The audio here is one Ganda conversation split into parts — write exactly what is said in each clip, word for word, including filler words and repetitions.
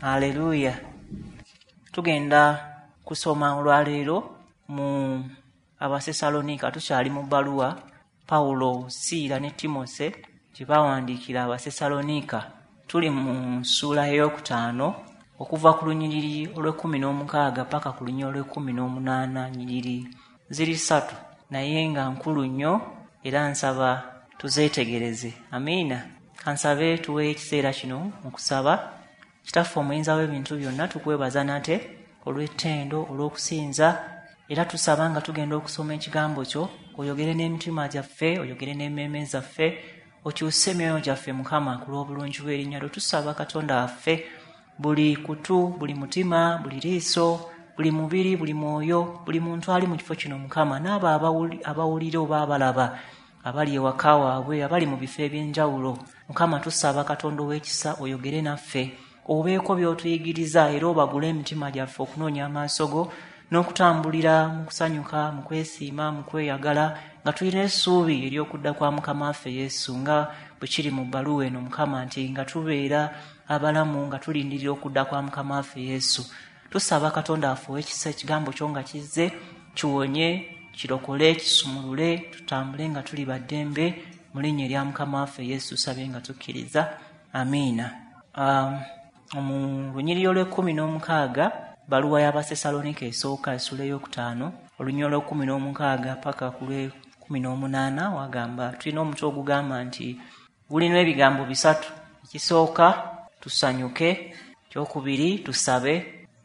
Aleluya. Tugenda kusoma olwaleero mu Abasesalonika. Tukyali mu bbaluwa Pawulo, Siira ne Timose gye baawandiikira Abasesalonika. Tuli mu ssuula ey'okutaano okuva ku lunyiriri olw'ekkumi n'omukaaga paka ku lunyiriri olw'ekkumi n'omunaana. Nyiriri ziri ssatu naye nga nkulu nnyo, era nsaba tuzeetegereze. Amiina. Kansabe tuweeyo ekiseera kino mu kusaba. Kitaffe omuyinza w'ebintu byonna, tukwebaza nate olw'ettendo, olw'okusinza, era tusaba nga tugenda okusoma ekigambo kyo, oyogere n'emitima gyaffe, oyogere n'emmeeme zaffe, okyuse emyoyo gyaffe Mukama ku lw'obulungi bw'erinnya lyo. Tusaba Katonda waffe, buli kutu, buli mutima, buli liiso, buli mubiri, buli mwoyo, buli muntu ali mu kifo kino Mukama, n'abo abawulira oba abalaba, abali ewaka waabwe, abali mu bifo eby'enjawulo, Mukama tusaba Katonda ow'ekisa oyogere naffe, obeeko by'otuyigiriza, era obagule emitima gyaffe okunoonya amaaso go n'okutambulira mu kusanyuka, mu kwesiima, mu kweyagala, nga tulina essuubi ery'okudda kwa Mukama waffe Yesu, nga bwe kiri mu bbaluwa eno Mukama, nti nga tubeera abalamu nga tulindirira okudda kwa Mukama waffe Yesu. Tusaba Katonda waffe ow'ekisa, ekigambo kyo nga kizze kiwonye, kirokole, kisumulule, tutambule nga tuli baddembe mu linnya erya Mukama waffe Yesu. Tusabye nga tukkiriza, amiina. Um, mu lunyiriri olw'ekkumi n'omukaaga, bbaluwa y'Abasesalonika esooka essula ey'okutaano, olunyiriri olw'ekkumi n'omukaaga paka ku lw'ekkumi n'omunaana, wagamba tulina omutwe ogugamba nti gulina ebigambo bisatu. Ekisooka tusanyuke, ekyokubiri tusabe,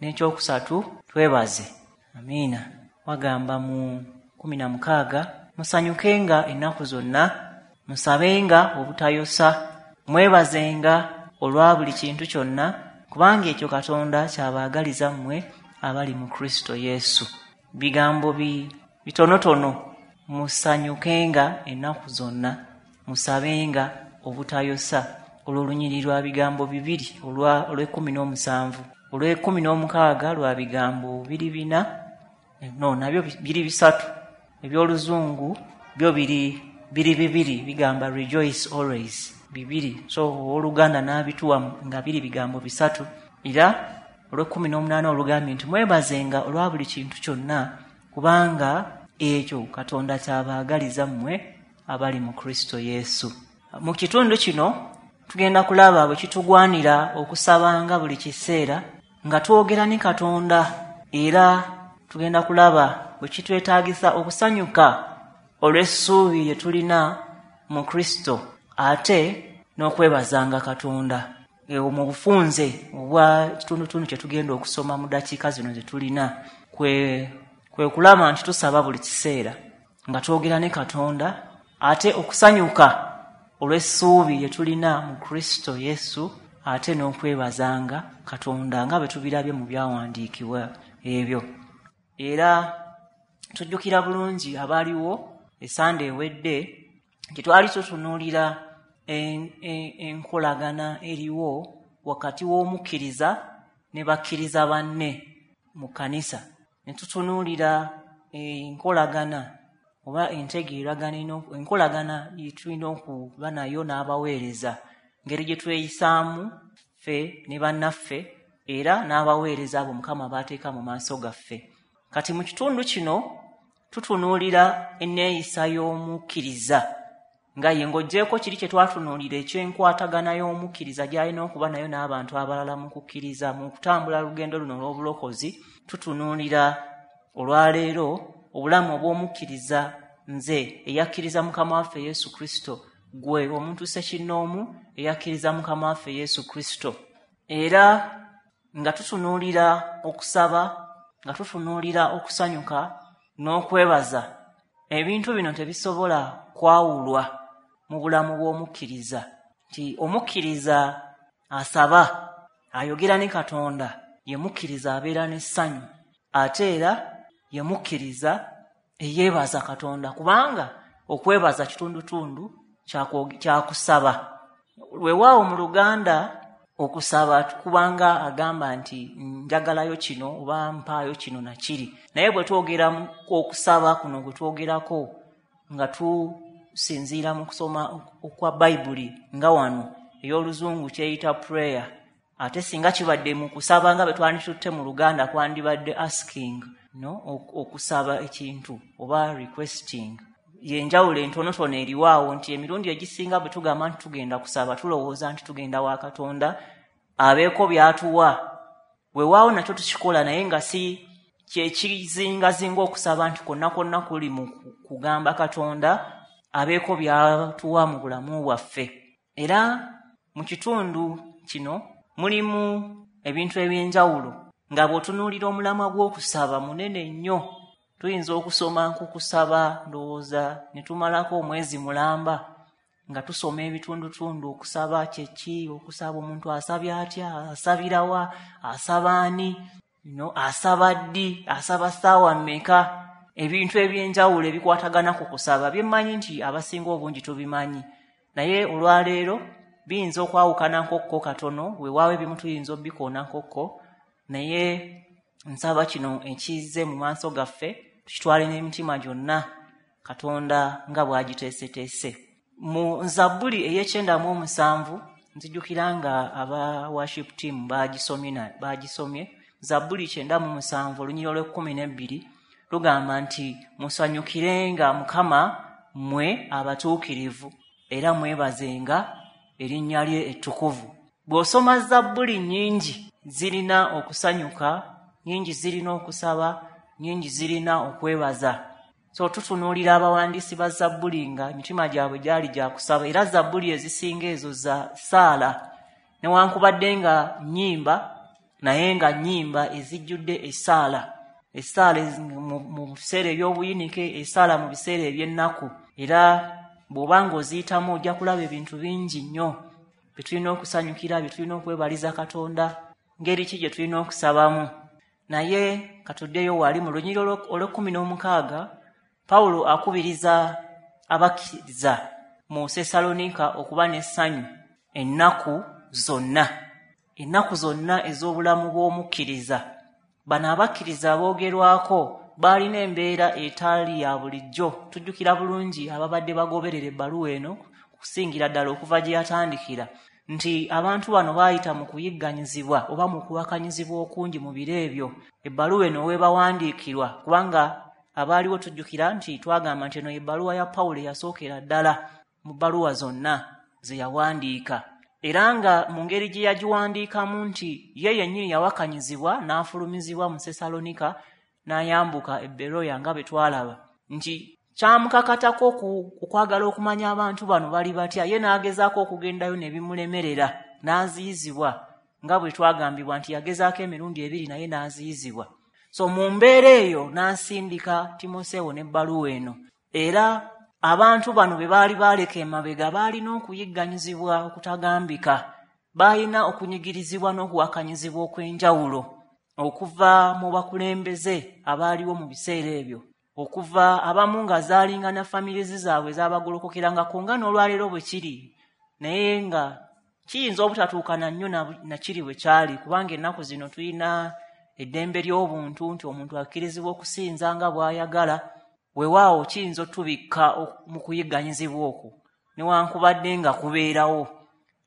n'ekyokusatu twebaze. Amiina. Wagamba mu kumi na mukaaga, musanyukenga ennaku zonna, musabenga obutayosa, mwebazenga olwa buli kintu kyonna, kubanga ekyo Katonda kyabaagaliza mmwe abali mu Kristo Yesu. Bigambo bi bitonotono, musanyukenga ennaku zonna, musabenga obutayosa. Olwo olunyiriri lwa bigambo bibiri, olw'ekkumi n'omusanvu, olw'ekkumi n'omukaaga lwa bigambo biri bina, no nabyo biri bisatu. Eby'oluzungu byo biri biri bibiri, bigamba rejoice always, bibiri. So owooluganda n'abituwa nga biri bigambo bisatu. Era olw'ekkumi n'omunaana olugambye nti mwebazenga olwa buli kintu kyonna, kubanga ekyo Katonda kyabaagaliza mmwe abali mu Kristo Yesu. Mu kitundu kino tugenda kulaba bwe kitugwanira okusabanga buli kiseera nga twogera ne Katonda, era tugenda kulaba bwe kitwetaagisa okusanyuka olw'essuubi lye tulina mu Kristo, ate n'okwebazanga Katonda. Mu bufunze obwa kitundutundu kye tugenda okusoma mu ddakiika zino ze tulina, kwe kwe kulaba nti tusaba buli kiseera nga twogera ne Katonda, ate okusanyuka olw'essuubi lye tulina mu Kristo Yesu, ate n'okwebazanga Katonda nga bwe tubirabye mu byawandiikibwa ebyo. Era tujjukira bulungi abaaliwo esande ewedde nti twali tutunuulira enkolagana eriwo wakati w'omukkiriza ne bakkiriza banne mu kkanisa. Ne tutunuulira enkolagana oba entegeeragana, enkolagana gye tulina okuba nayo n'abaweereza, ngeri gye tweyisaamu ffe ne bannaffe, era n'abaweereza abo Mukama baateeka mu maaso gaffe. Kati mu kitundu kino tutunuulira enneeyisa y'omukkiriza, nga ye ng'oggyeeko kiri kye twatunuulira eky'enkwatagana y'omukkiriza gy'alina okuba nayo n'abantu abalala mu kukkiriza, mu kutambula lugendo luno olw'obulokozi. Tutunuulira olwaleero obulamu obw'omukkiriza, nze eyakkiriza Mukama waffe Yesu Kristo, gwe omuntu ssekinnoomu eyakkiriza Mukama waffe Yesu Kristo. Era nga tutunuulira okusaba, nga tutunuulira okusanyuka n'okwebaza, ebintu bino tebisobola kwawulwa mu bulamu bw'omukkiriza. Nti omukkiriza asaba, ayogera ne Katonda, ye mukkiriza abeera n'essanyu, ate era ye mukkiriza eyeebaza Katonda, kubanga okwebaza kitundutundu kyakusaba. Weewaawo mu Luganda okusaba kubanga agamba nti njagalayo kino oba mpaayo kino na kiri, naye bwe twogera okusaba kuno gwe twogerako nga tusinziira mu kusoma okwa Bayibuli, nga wano ey'oluzungu kyeyita prayer, Ate singa kibadde mu kusaba nga bwe twanditutte mu Luganda kwandibadde asking, no, okusaba ekintu oba requesting. Yenjawulo entonotono eriwaawo nti emirundi egisinga bwe tugamba nti tugenda kusaba tulowooza nti tugenda wa Katonda abeeko by'atuwa. Weewaawo nakyo tukikola, naye nga si kyekizingazinga okusaba nti kwonna kwonna kuli mu kugamba Katonda abeeko by'atuwa mu bulamu bwaffe. Era mu kitundu kino mulimu ebintu eby'enjawulo nga bw'otunuulira omulamwa gw'okusaba munene nnyo. Tuyinza okusoma nkukusaba ndowooza ne tumalako omwezi mulamba nga tusoma ebitundutundu okusaba kye ki, okusaba omuntu asabye atya, asabirawa, asaba ani, no, asaba ddi, asaba ssaawa mmeka, ebintu eby'enjawulo ebikwatagana ku kusaba byemmanyi nti abasinga obungi tubimanyi, naye olwaleero biyinza okwawukana nkokko katono. Weewaawo ebimu tuyinza obbikoona nkokko, naye nsaba kino ekizze mu maaso gaffe tukitwale n'emitima gyonna Katonda nga bw'agiteeseteese. Mu Zabbuli ey'ekyenda mu omusanvu nzijukira nga aba worship team bagisomye bagisomye Zabbuli kyenda mu musanvu olunyiriri olw'ekkumi n'ebbiri lugamba nti musanyukirenga Mukama mmwe abatuukirivu era mwebazenga erinnya lye ettukuvu. Bw'osoma Zabbuli nnyingi zirina okusanyuka, nnyingi zirina okusaba, nnyingi zirina okwebaza. So tutunuulira abawandiisi ba Zabbuli nga emitima gyabwe gyali gya kusaba, era Zabbuli ezisinga ezo za ssaala, newankubadde nga nnyimba, naye nga nnyimba ezijjudde essaala. Essaala mu biseera eby'obuyinike, essaala mu biseera eby'ennaku. Era bw'oba ng'oziyitamu ojja kulaba ebintu bingi nnyo bye tulina okusanyukira, bye tulina okwebaliza Katonda, ngeri ki gye tulina okusabamu. Naye katuddeyo wali mu lunyiriri olw'ekkumi n'omukaaga, Pawulo akubiriza abakkiriza mu Sessaloniika okuba n'essanyu ennaku zonna, ennaku zonna ez'obulamu bw'omukkiriza. Bano abakkiriza boogerwako baalina embeera etaali ya bulijjo. Tujjukira bulungi ababadde bagoberera ebbaluwa eno okusingira ddala okuva gye yatandikira nti abantu bano baayita mu kuyigganyizibwa oba mu kuwakanyizibwa okungi mu biro ebyo ebbaluwa eno weebawandiikirwa, kubanga abaaliwo tujjukira nti twagamba nti eno ebbaluwa ya Pawulo eyasookera ddala mu bbaluwa zonna ze yawandiika, era nga mu ngeri gye yagiwandiikamu nti ye yennyini yawakanyizibwa n'afulumizibwa mu Sessalonika n'ayambuka e Beroya nga bwe twalaba nti kyamukakatako okwagala okumanya abantu bano bali batya, ye n'agezaako okugendayo ne bimulemerera n'aziyizibwa nga bwe twagambibwa nti yagezaako emirundi ebiri naye n'aziyizibwa. So mu mbeera eyo n'asindika Timoseewo n'ebbaluwa eno. Era abantu bano be baali baaleka emabega baalina okuyigganyizibwa okutagambika, baalina okunyigirizibwa n'okuwakanyizibwa okw'enjawulo okuva mu bakulembeze abaaliwo mu biseera ebyo, okuva abamu nga zaalinga na families zaabwe zaabagolokokerangako nga n'olwaleero bwe kiri, naye nga kiyinza obutatuukana nnyo na kiri bwe kyali, kubanga ennaku zino tulina eddembe ly'obuntu nti omuntu akkirizibwa okusinza nga bw'ayagala. Weewaawo kiyinza otubikka mu kuyigganyizibwa okwo newankubadde nga kubeerawo,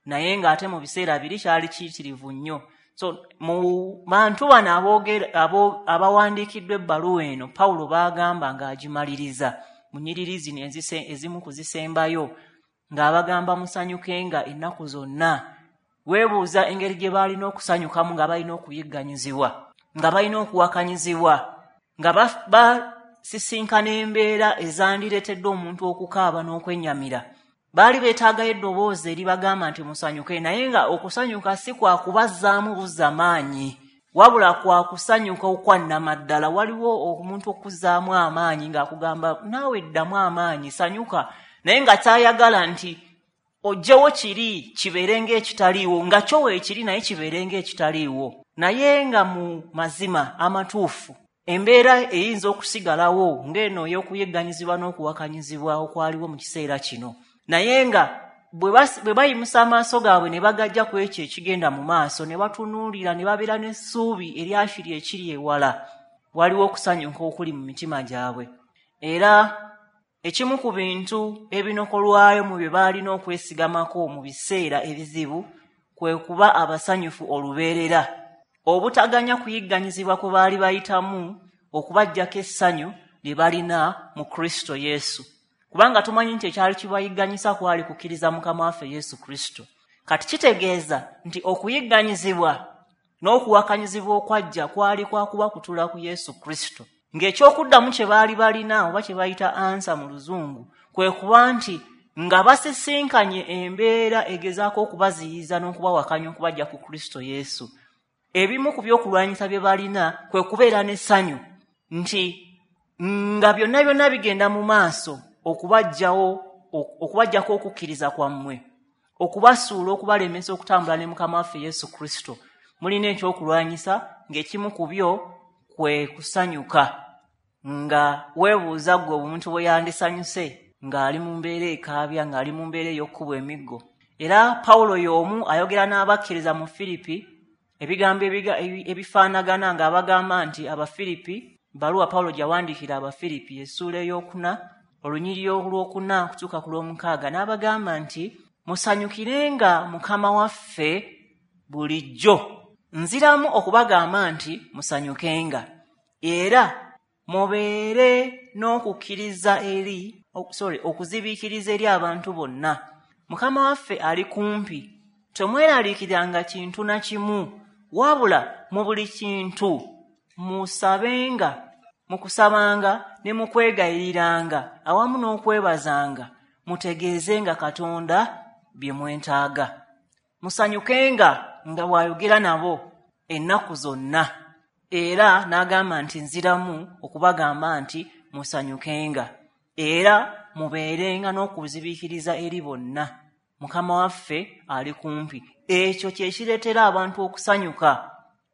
naye ng'ate mu biseera biri kyali kiyitirivu nnyo. So mu bantu bano aboogera abawandiikiddwa ebbaluwa eno Pawulo baagamba ng'agimaliriza mu nnyiriri zino ezimu ku zisembayo ng'abagamba musanyukenga ennaku zonna. Weebuuza engeri gye baalina okusanyukamu nga balina okuyigganyizibwa, nga balina okuwakanyizibwa, nga basisinkana embeera ezandireetedde omuntu okukaaba n'okwennyamira. Baali beetaagayo eddoboozi eribagamba nti musanyuke, naye nga okusanyuka si kwa kubazzaamu buzza maanyi, wabula kwa kusanyuka okwannamaddala. Waliwo omuntu okuzzaamu amaanyi ng'akugamba naawe ddamu amaanyi, sanyuka, naye nga kyayagala nti ojjewo kiri kibeere ng'ekitaliiwo, nga kyo weekiri naye kibeere ng'ekitaliiwo. Naye nga mu mazima amatuufu embeera eyinza okusigalawo ng'eno ey'okuyigganyizibwa n'okuwakanyizibwa okwaliwo mu kiseera kino, naye nga bwe bayimusa amaaso gaabwe ne bagajja ku ekyo ekigenda mu maaso ne batunuulira ne babeera n'essuubi eryakiri ekiri ewala, waliwo okusanyuka okuli mu mitima gyabwe. Era ekimu ku bintu ebinokolwayo mu bye baalina okwesigamako mu biseera ebizibu kwe kuba abasanyufu olubeerera, obutaganya kuyigganyizibwa kwe baali bayitamu okubaggyako essanyu lye balina mu Kristo Yesu. Kubanga tumanyi nti ekyali kibayigganyisa kwali kukkiriza Mukama waffe Yesu Kristo. Kati kitegeeza nti okuyigganyizibwa n'okuwakanyizibwa okwajja kwali kwa kubakutula ku Yesu Kristo. Ng'ekyokuddamu kye baali balina oba kye bayita ansa mu Luzungu kwe kuba nti nga basisinkanye embeera egezaako okubaziyiza n'okubawakanya okubajja ku Kristo Yesu, ebimu ku by'okulwanyisa bye balina kwe kubeera n'essanyu nti nga byonna byonna bigenda mu maaso okubajjawo okubajjako okukkiriza kwammwe, okubasuula, okubalemesa okutambula ne Mukama waffe Yesu Kristo, mulina ekyokulwanyisa ng'ekimu ku byo kwe kusanyuka. Nga weebuuza ggwe omuntu bwe yandisanyuse ng'ali mu mbeera ekaabya, ng'ali mu mbeera ey'okkubwa emiggo. Era Pawulo y'omu ayogera n'abakkiriza mu Firipi ebigambo ebifaanagana ng'abagamba nti Abafiripi, bbaluwa Pawulo gy'awandiikira Abafiripi essuula ey'okuna olunyiriri olwokuna okutuuka ku lw'omukaaga, n'abagamba nti musanyukirenga Mukama waffe bulijjo. Nziramu okubagamba nti musanyukenga, era mubeere n'okukkiriza eri sorry okuzibiikiriza eri abantu bonna. Mukama waffe ali kumpi, temweraliikiriranga kintu na kimu, wabula mu buli kintu musabenga, mu kusabanga ne mu kwegayiriranga awamu n'okwebazanga, mutegeezenga Katonda bye mwetaaga. Musanyukenga nga bw'ayogera nabo ennaku zonna. Era n'agamba nti nziramu okubagamba nti musanyukenga, era mubeerenga n'okuzibiikiriza eri bonna. Mukama waffe ali kumpi. Ekyo kye kireetera abantu okusanyuka,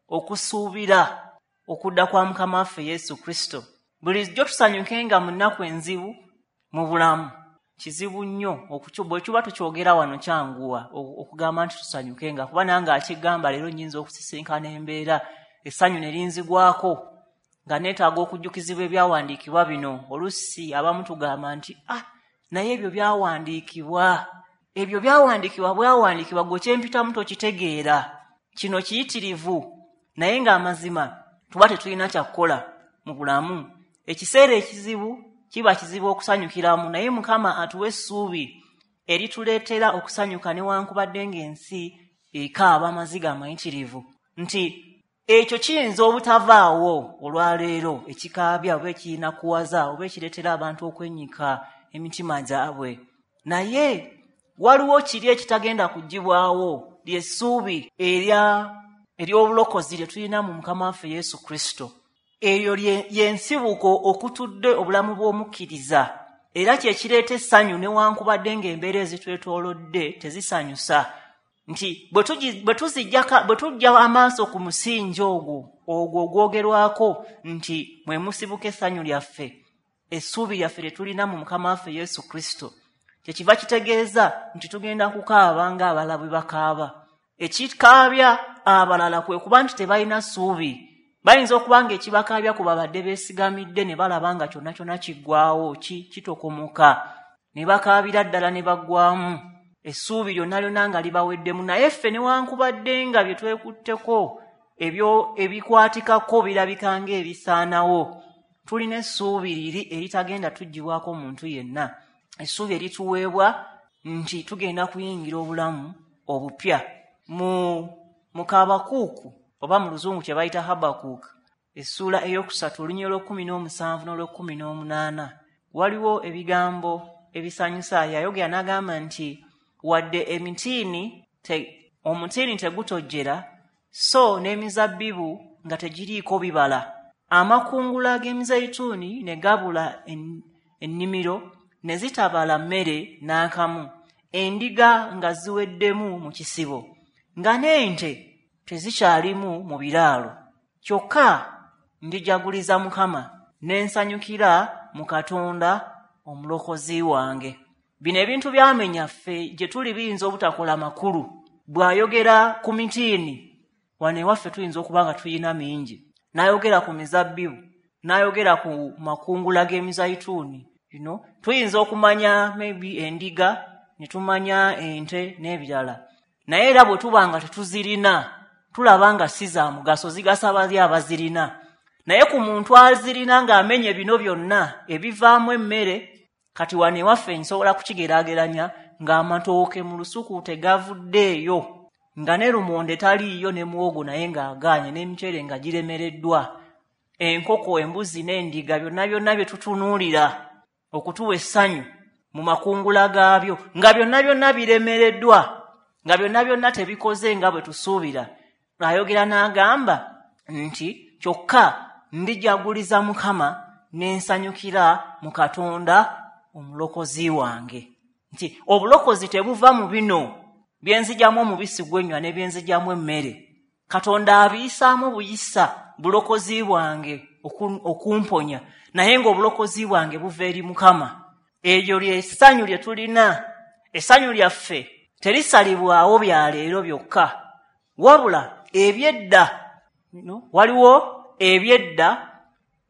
okusuubira okudda kwa Mukama waffe Yesu Kristo. Bulijjo tusanyukenga mu nnaku enzibu mu bulamu. Kizibu nnyo bwe kiba tukyogera wano kyanguwa okugamba nti tusanyukenga, kuba nange akigamba leero nnyinza okusisinkana embeera essanyu ne linzigwako nga neetaaga okujjukizibwa ebyawandiikibwa bino. Oluusi abamu tugamba nti ah, naye ebyo byawandiikibwa, ebyo byawandiikibwa bwawandiikibwa, gwe kyempitamu tokitegeera, kino kiyitirivu. Naye ng'amazima tuba tetulina kyakukola mu bulamu. Ekiseera ekizibu kiba kizibu okusanyukiramu, naye Mukama atuwa essuubi erituleetera okusanyuka newankubadde ng'ensi ekaaba amaziga amayitirivu. Nti ekyo kiyinza obutavaawo olwaleero, ekikaabya oba ekinakuwaza oba ekireetera abantu okwennyika emitima gyabwe, naye waliwo kiri ekitagenda kuggyibwawo, ly'essuubi erya ery'obulokozi lye tulina mu Mukama waffe Yesu Kristo. Eryo y'ensibuko okutudde obulamu bw'omukkiriza, era kye kireeta essanyu newankubadde ng'embeera ezitwetoolodde tezisanyusa. Nti bwe tuggya amaaso ku musingi ogwo ogwo ogwogerwako nti mwe musibuka essanyu lyaffe, essuubi lyaffe lye tulina mu Mukama waffe Yesu Kristo, kyekiva kitegeeza nti tugenda kukaaba ng'abalala bwe bakaaba. Ekikaabya abalala kwe kuba nti tebalina ssuubi. Bayinza okuba nga ekibakaabya ku babadde beesigamidde ne balaba nga kyonna kyonna kiggwawo, kitokomoka, ne bakaabira ddala ne baggwamu, essuubi lyonna lyonna nga libaweddemu. Naye ffe newankubadde nga bye twekutteko ebyo ebikwatikako birabika ng'ebisaanawo, tulina essuubi liri eritagenda tuggyibwako muntu yenna, essuubi erituweebwa nti tugenda kuyingira obulamu obupya. Mu mu Kabakuuku oba mu Luzungu kye bayita Habakuuku, essuula eyokusatu olunyiriri olw'ekkumi n'omusanvu n'olw'ekkumi n'omunaana, waliwo ebigambo ebisanyusa. Yayogera n'agamba nti wadde emitiini te, omutiini tegutojjera, so n'emizabbibu nga tegiriiko bibala, amakungula g'emizayituuni ne gabula en, ennimiro ne zitabala mmere n'akamu, endiga nga ziweddemu mu kisibo, nga n'ente tezikyalimu mu biraalo. Kyokka ndijaguliza Mukama, ne nsanyukira mu Katonda omulokozi wange. Bino ebintu byamenya ffe gye tuli biyinza obutakola makulu. Bw'ayogera ku mitiini, wano ewaffe tuyinza okuba nga tuyina mingi, n'ayogera ku mizabbibu, n'ayogera ku makungula g'emizayituuni, you know, tuyinza okumanya maybe endiga, ne tumanya ente n'ebirala. Naye era bwe tuba nga tetuzirina, tulaba nga si za mugaso, zigasa bali abazirina. Naye ku muntu azirina ng'amenye bino byonna ebivaamu emmere, kati wano ewaffe nsobola kukigeraageranya ng'amatooke mu lusuku tegavuddeeyo, nga ne lumonde taliiyo ne muwogo naye ng'agaanye, n'emiceere nga giremereddwa, enkoko, embuzi n'endiga, byonna byonna bye tutunuulira okutuwa essanyu mu makungula gaabyo, nga byonna byonna biremereddwa, nga byonna byonna tebikoze nga bwe tusuubira. Ayogera n'agamba nti kyokka ndijaguliza Mukama ne nsanyukira mu Katonda omulokozi wange. Nti obulokozi tebuva mu bino bye nzigyamu omubisi gw'ennywa ne bye nzigyamu emmere. Katonda abiyisaamu buyisa bulokozi bwange okumponya, naye ng'obulokozi bwange buva eri Mukama. Eryo ly'essanyu lye tulina. Essanyu lyaffe terisalibwawo bya leero byokka, wabula ebyedda. Waliwo ebyedda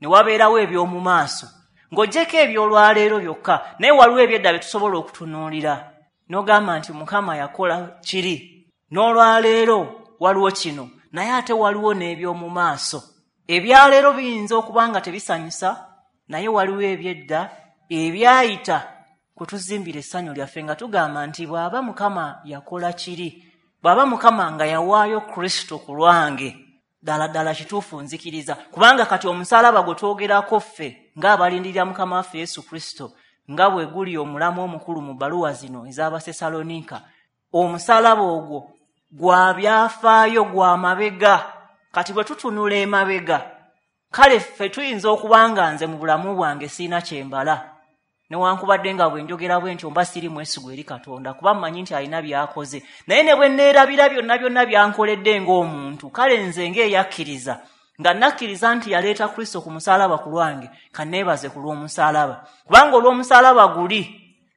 ne wabeerawo eby'omu maaso, ng'oggyeko eby'olwaleero byokka, naye waliwo ebyedda bye tusobola okutunuulira n'ogamba nti Mukama yakola kiri, n'olwaleero waliwo kino, naye ate waliwo n'eby'omu maaso. Ebyaleero biyinza okuba nga tebisanyusa, naye waliwo ebyedda ebyayita kwe tuzimbira essanyu lyaffe, nga tugamba nti bw'aba Mukama yakola kiri, bw'aba Mukama nga yawaayo Kristo ku lwange, ddala ddala kituufu nzikiriza. Kubanga kati omusaalaba gwe twogerako ffe ng'abalindirira Mukama waffe Yesu Kristo, nga bwe guli omulamu omukulu mu bbaluwa zino ez'Abasessaloniika, omusaalaba ogwo gwa byafaayo, gwa mabega. Kati bwe tutunula emabega, kale ffe tuyinza okuba nga nze mu bulamu bwange siina kyembala, newankubadde nga bwe njogera bwe ntyo mba siri mwesigwa eri Katonda, kuba mmanyi nti alina by'akoze. Naye ne bwe neerabira byonna byonna by'ankoledde ng'omuntu, kale nze ng'eyakkiriza, nga nakkiriza nti yaleeta Kristo ku musaalaba ku lwange, kanneebaze ku lw'omusaalaba. Kubanga olw'omusaalaba guli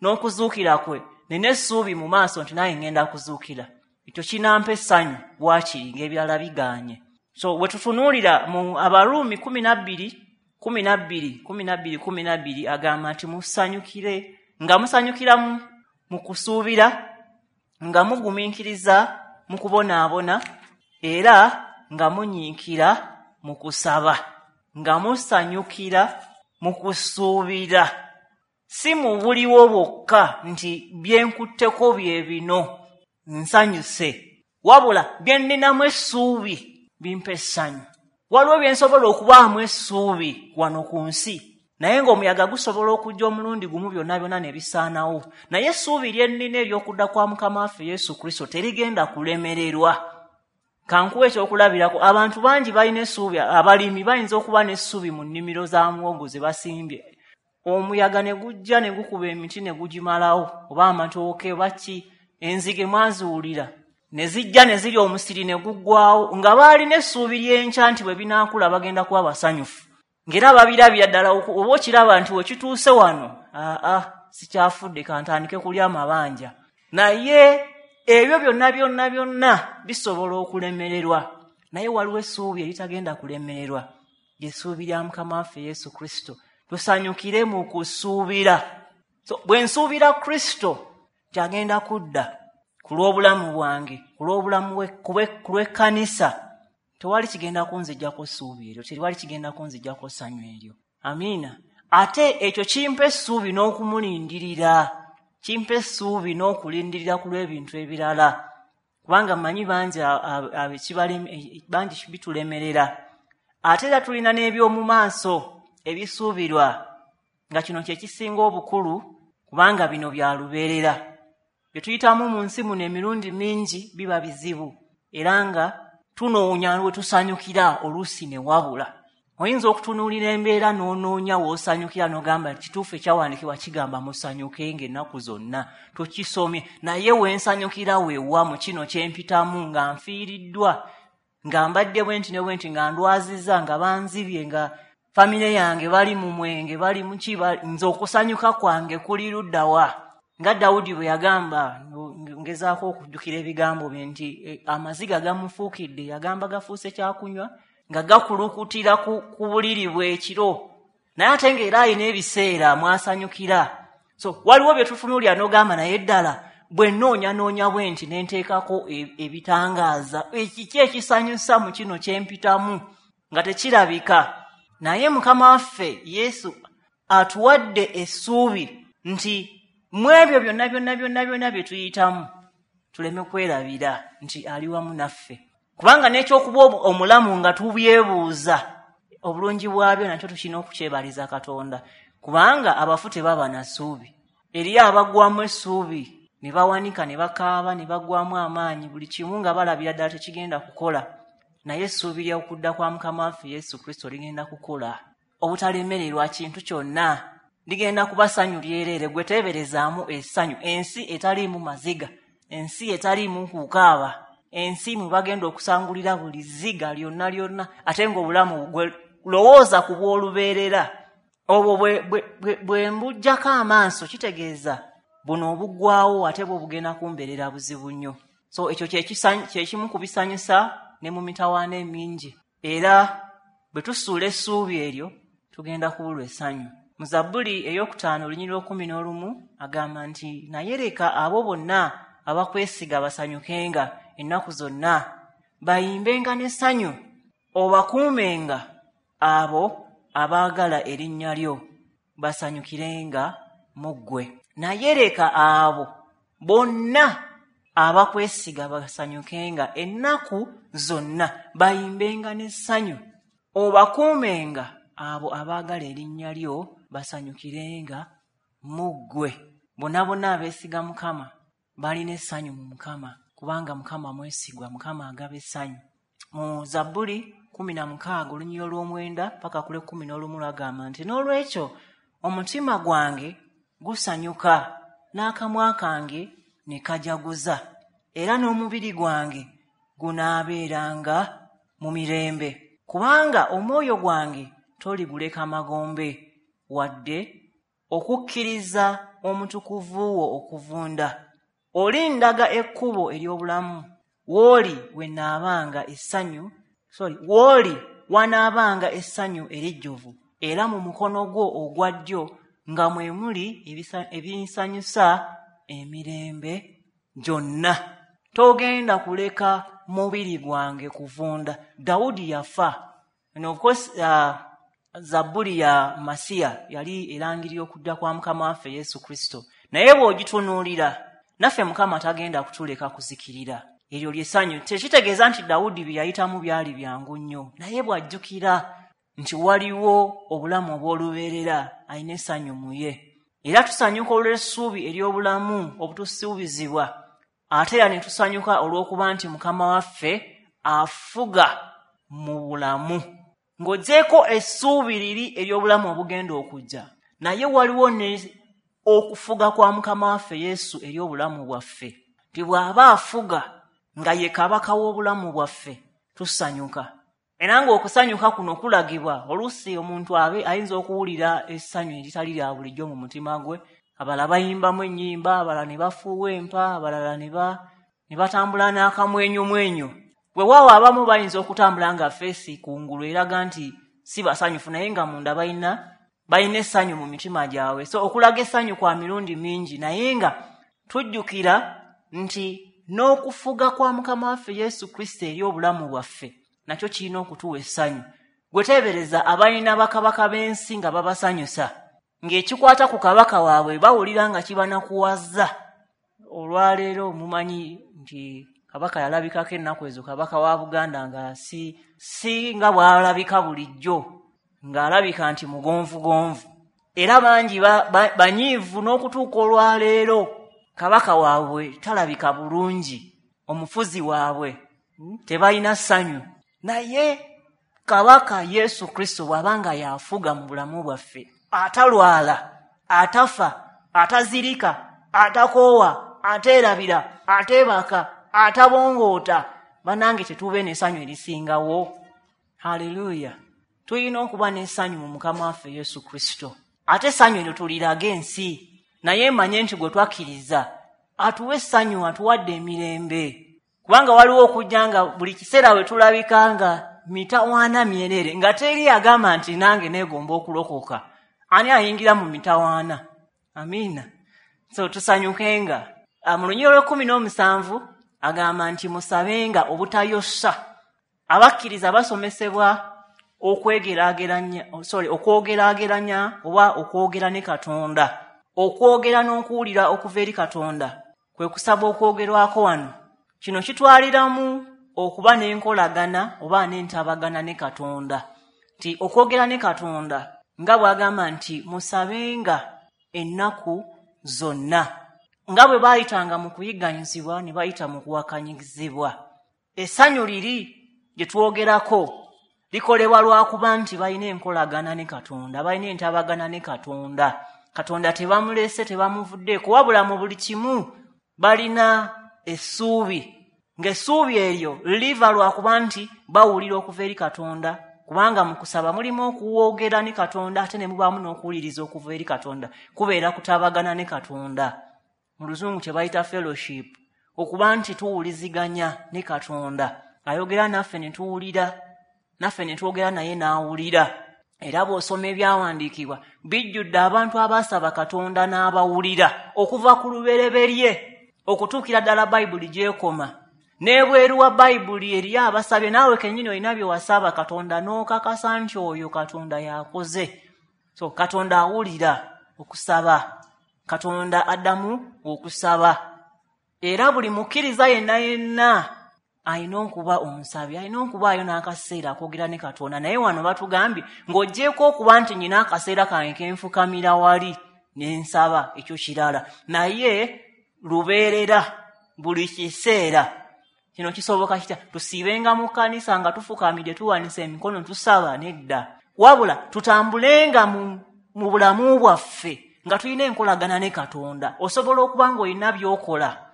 n'okuzuukira kwe, nina essuubi mu maaso nti naye ŋŋenda kuzuukira. Ekyo kinampa essanyu waakiri ng'ebirala bigaanye. So bwe tutunuulira mu Abaruumi kumi na bbiri kumi na bbiri kumi na bbiri kumi na bbiri agamba nti musanyukire, nga musanyukira mu kusuubira, nga mugumiikiriza mu kubonaabona, era nga munyiikira mu kusaba, nga musanyukira mu kusuubira. Si mu buliwo bwokka nti bye nkutteko bye bino nsanyuse, wabula bye nninamu essuubi bimpa essanyu. Waliwo bye nsobola okubaamu essuubi wano ku nsi, naye ng'omuyaga gusobola okujja omulundi gumu byonna byonna ne bisaanawo. Naye essuubi lye nnina ery'okudda kwa Mukama waffe Yesu Kristo terigenda kulemererwa. Kankuwe ekyokulabirako, abantu bangi balina essuubi, abalimi bayinza okuba n'essuubi mu nnimiro za muwogo ze basimbye. Omuyaga ne gujja ne gukuba emiti ne gugimalawo, oba amatooke oba ki, enzige mwaziwulira ne zijja ne zirya omusiri ne guggwawo, nga baalina essuubi ly'enkya nti bwe binaakula bagenda kuba basanyufu. Ng'era babirabira ddala, oba okiraba nti we kituuse wano, aa sikyafudde, kantandike kulya amabanja. Naye ebyo byonna byonna byonna bisobola okulemererwa, naye waliwo essuubi eritagenda kulemererwa, ly'essuubi lya Mukama waffe Yesu Kristo. Tusanyukire mu kusuubira. So bwe nsuubira Kristo kyagenda kudda ku lw'obulamu bwange, ku lw'obulamu ku lw'ekkanisa, tewali kigenda kunziggyako ssuubi eryo, tewali kigenda kunziggyako ssanyu eryo. Amiina. Ate ekyo kimpa essuubi n'okumulindirira, kimpa essuubi n'okulindirira ku lw'ebintu ebirala, kubanga mmanyi bangi bangi bitulemerera. Ate era tulina n'eby'omu maaso ebisuubirwa, nga kino kye kisinga obukulu, kubanga bino bya lubeerera. Bye tuyitamu mu nsi muno emirundi mingi biba bizibu, era nga tunoonya we tusanyukira oluusi ne wabula. Oyinza okutunuulira embeera n'onoonya w'osanyukira n'ogamba kituufu ekyawandiikibwa kigamba musanyukenga ennaku zonna, tukisomye, naye we nsanyukira weewa mu kino kye mpitamu, nga nfiiriddwa, nga mbadde bwe nti ne bwe nti, nga ndwazizza, nga banzibye, nga famire yange bali mu mwenge, bali mu ki, nze okusanyuka kwange kuli ludda wa? Nga Dawudi bwe yagamba, ngezaako okujjukira ebigambo bye nti amaziga gamufuukidde, yagamba gafuuse kyakunywa, nga gakulukutira ku, ku buliri bw'ekiro, naye ate ng'era alina ebiseera mwasanyukira. So waliwo bye tutunuulira n'ogamba naye ddala bwe nnoonyanoonya bwe nti ne nteekako ebitangaaza, ekiki ekisanyusa mu kino kye mpitamu nga tekirabika. Naye Mukama waffe Yesu atuwadde essuubi nti mu ebyo byonna byonna byonna byonna bye tuyitamu tuleme kwerabira nti ali wamu naffe, kubanga n'ekyokuba omulamu nga tubyebuuza obulungi bwabyo nakyo tukirina okukyebaliza Katonda, kubanga abafu tebaba na ssuubi. Eriyo abaggwamu essuubi ne bawanika ne bakaaba ne baggwamu amaanyi, buli kimu nga balabira ddala tekigenda kukola, naye essuubi ly'okudda kwa Mukama waffe Yesu Kristo ligenda kukola obutalemererwa kintu kyonna, ligenda kuba ssanyu lyereere. Gwe teeberezaamu essanyu, ensi etaliimu maziga, ensi etaliimu kukaaba, ensi mwe bagenda okusangulira buli zziga lyonna lyonna, ate ng'obulamu gwe lowooza ku bw'olubeerera obwo bwe mbuggyako amaaso, kitegeeza buno obuggwawo ate bwo bugenda kumbeerera buzibu nnyo. So ekyo kye kimu ku bisanyusa ne mu mitawaana emingi, era bwe tusuula essuubi eryo tugenda kubulwa essanyu. Mu Zabbuli ey'okutaano olunyiriri lw'ekkumi n'olumu agamba nti, naye leka abo bonna abakwesiga basanyukenga ennaku zonna, bayimbenga n'essanyu, obakuumenga abo abaagala erinnya lyo, basanyukirenga mu ggwe. Naye leka abo bonna abakwesiga basanyukenga ennaku zonna, bayimbenga n'essanyu, obakuumenga abo abaagala erinnya lyo, basanyukirenga mu ggwe. Bonna bonna abeesiga Mukama balina essanyu mu Mukama, kubanga Mukama mwesigwa, Mukama agaba essanyu. Mu Zabbuli kumi na mukaaga olunyiriri olw'omwenda paka ku lw'ekkumi n'olumu lwagamba nti, n'olwekyo omutima gwange gusanyuka n'akamwa kange ne kajaguza, era n'omubiri gwange gunaabeeranga mu mirembe, kubanga omwoyo gwange toliguleka magombe, wadde okukkiriza omutukuvu wo okuvunda. Olindaga ekkubo ery'obulamu, w'oli we naabanga essanyu, sorry, w'oli wanaabanga essanyu erijjuvu, era mu mukono gwo ogwa ddyo nga mwe muli ebinsanyusa emirembe gyonna. Togenda kuleka mubiri gwange kuvunda. Dawudi yafa. And of course, uh, Zabbuli ya Masiya yali erangirira okudda kwa Mukama waffe Yesu Kristo, naye bw'ogitunuulira naffe Mukama tagenda kutuleka kuzikirira. Eryo ly'essanyu. Tekitegeeza nti Dawudi bye yayitamu byali byangu nnyo, naye bw'ajjukira nti waliwo obulamu obw'olubeerera alina essanyu mu ye. Era tusanyuka olw'essuubi ery'obulamu obutusuubizibwa, ate era ne tusanyuka olw'okuba nti Mukama waffe afuga mu bulamu. Ng'oggyeeko essuubi liri ery'obulamu obugenda okujja, naye waliwo ne okufuga kwa Mukama waffe Yesu eri obulamu bwaffe, nti bw'aba afuga nga ye kabaka w'obulamu bwaffe tusanyuka. Era ng'okusanyuka kuno kulagibwa, oluusi omuntu abe ayinza okuwulira essanyu eritali lya bulijjo mu mutima gwe, abalala bayimbamu ennyimba, abalala ne bafuuwa empa, abalala ne batambula n'akamwenyumwenyu. Weewaawo abamu bayinza okutambula nga feesi kungulu eraga nti si basanyufu, naye nga munda balina balina essanyu mu mitima gyabwe. So okulaga essanyu kwa mirundi mingi, naye nga tujjukira nti n'okufuga kwa Mukama waffe Yesu Kristo eri obulamu bwaffe nakyo kirina okutuwa essanyu. Gwe teebereza abalina bakabaka b'ensi nga babasanyusa, ng'ekikwata ku kabaka waabwe bawulira nga kibanakuwaza. Olwaleero mumanyi nti kabaka yalabikako ennaku ezo, kabaka wa Buganda nga si, si nga bw'alabika bulijjo, ng'alabika nti mugonvugonvu, era bangi banyiivu n'okutuuka olwaleero kabaka waabwe talabika bulungi, omufuzi waabwe tebalina ssanyu. Naye kabaka Yesu Kristo bw'aba nga y'afuga mu bulamu bwaffe, atalwala, atafa, atazirika, atakoowa, ateerabira, ateebaka, atabongoota, bannange tetube n'essanyu erisingawo. Haleluya! Tulina okuba n'essanyu mu Mukama waffe Yesu Kristo, ate essanyu eryo tuliraga ensi. Naye manye nti gwe twakkiriza atuwa essanyu, atuwadde emirembe, kubanga waliwo okujja nga buli kiseera we tulabika nga mitawaana myerere, nga teri agamba nti nange neegomba okulokoka. Ani ayingira mu mitawaana? Amiina. So tusanyukenga. Mu lunyiriri olw'ekkumi n'omusanvu agamba nti musabenga obutayosa. Abakkiriza basomesebwa okwegeraageranya, sorry, okwogeraageranya oba okwogera ne Katonda. Okwogera n'okuwulira okuva eri Katonda kwe kusaba okwogerwako wano. Kino kitwaliramu okuba n'enkolagana oba n'entabagana ne Katonda. Nti okwogera ne Katonda nga bw'agamba nti musabenga ennaku zonna, nga bwe baayitanga mu kuyigganyizibwa ne bayita mu kuwakanyizibwa. Essanyu liri gye twogerako likolebwa lwakuba nti balina enkolagana ne Katonda, balina entabagana ne Katonda. Katonda tebamulese, tebamuvuddeeko, wabula mu buli kimu balina essuubi, ng'essuubi eryo liva lwakuba nti bawulira okuva eri Katonda, kubanga mu kusaba mulimu okuwogera ne Katonda ate ne mubaamu n'okuwuliriza okuva eri Katonda. Kubeera kutabagana ne Katonda, mu Luzungu kye bayita fellowship, okuba nti tuwuliziganya ne Katonda. Ayogera naffe ne tuwulira, naffe ne twogera naye n'awulira. Era bw'osoma ebyawandiikibwa bijjudde abantu abaasaba Katonda n'abawulira okuva ku lubereberye okutuukira ddala Bayibuli gy'ekoma. N'ebweru wa Bayibuli eriyo abasabye, naawe kennyini olina bye wasaba Katonda n'okakasa nti oyo Katonda y'akoze. So Katonda awulira okusaba, Katonda addamu okusaba. Era buli mukkiriza yenna yenna alina okuba omusabi, alina okubaayo n'akaseera akoogera ne Katonda. Naye wano batugambye ng'oggyeeko okuba nti nnyina akaseera kange kenfukamira wali ne nsaba, ekyo kirala, naye lubeerera buli kiseera. Kino kisoboka kitya? Tusiibenga mu kkanisa nga tufukamidde tuwanise emikono tusaba? Nedda. Wabula tutambulenga mu, mu bulamu bwaffe nga tulina enkolagana ne Katonda. Osobola okuba ng'olina by'okola,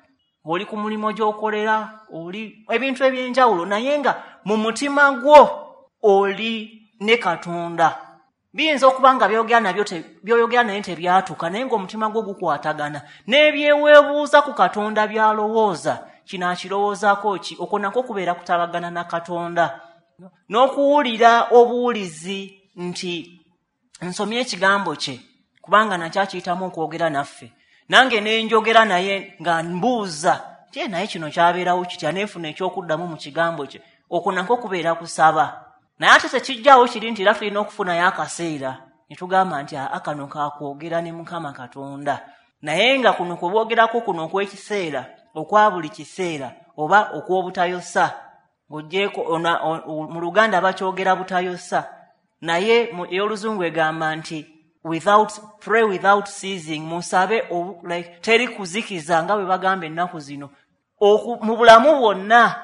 oli ku mulimu gy'okolera, oli ebintu eby'enjawulo, naye nga mu mutima gwo oli ne Katonda. Biyinza okuba nga by'oyogera nabyo by'oyogera naye tebyatuka, naye ng'omutima gwo gukwatagana n'ebyeweebuuza ku Katonda by'alowooza. Kino akirowoozaako ki? Okwo nakwo kubeera kutabagana na Katonda. N'okuwulira obuwulizi nti nsomye ekigambo kye, kubanga nakyo akiyitamu okwogera naffe. Nange ne njogera naye nga mbuuza nti naye kino kyabeerawo kitya, nenfuna ekyokuddamu mu kigambo kye. Okwo nakwo kubeera kusaba. Naye ate tekijjaawo kiri nti era tulina okufunayo akaseera ne tugamba nti aa kano kakwogera ne Mukama Katonda. Naye nga kuno kwe boogerako kuno okw'ekiseera, okwa buli kiseera oba okw'obutayosa, ng'oggyeeko mu Luganda bakyogera butayosa, naye ey'Oluzungu egamba nti without pray without ceasing, musabe like teri kuzikiza nga bwe bagamba ennaku zino. Mu bulamu bwonna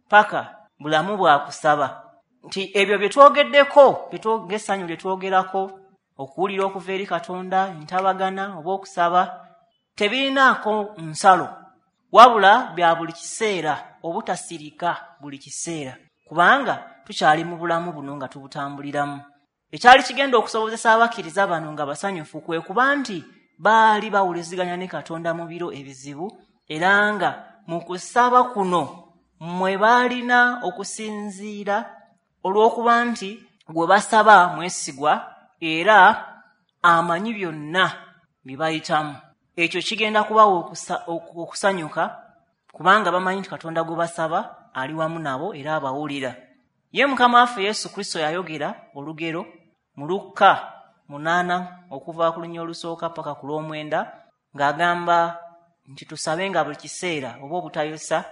paka bulamu bwa kusaba. Nti ebyo bye twogeddeko, ng'essanyu lye twogerako, okuwulira okuva eri Katonda, entabagana oba okusaba, tebirinaako nsalo, wabula bya buli kiseera, obutasirika buli kiseera, kubanga tukyali mu bulamu buno nga tubutambuliramu. Ekyali kigenda okusobozesa abakkiriza bano nga basanyufu kwe kuba nti baali bawuliziganya ne Katonda mu biro ebizibu, era nga mu kusaba kuno mwe baalina okusinziira olw'okuba nti gwe basaba mwesigwa era amanyi byonna bye bayitamu. Ekyo kigenda kubawa okusanyuka kubanga bamanyi nti Katonda gwe basaba ali wamu nabo era abawulira. Ye Mukama waffe Yesu Kristo yayogera olugero mu Lukka munaana okuva ku lunya olusooka paka ku lw'omwenda, ng'agamba nti tusabenga buli kiseera oba obutayosa.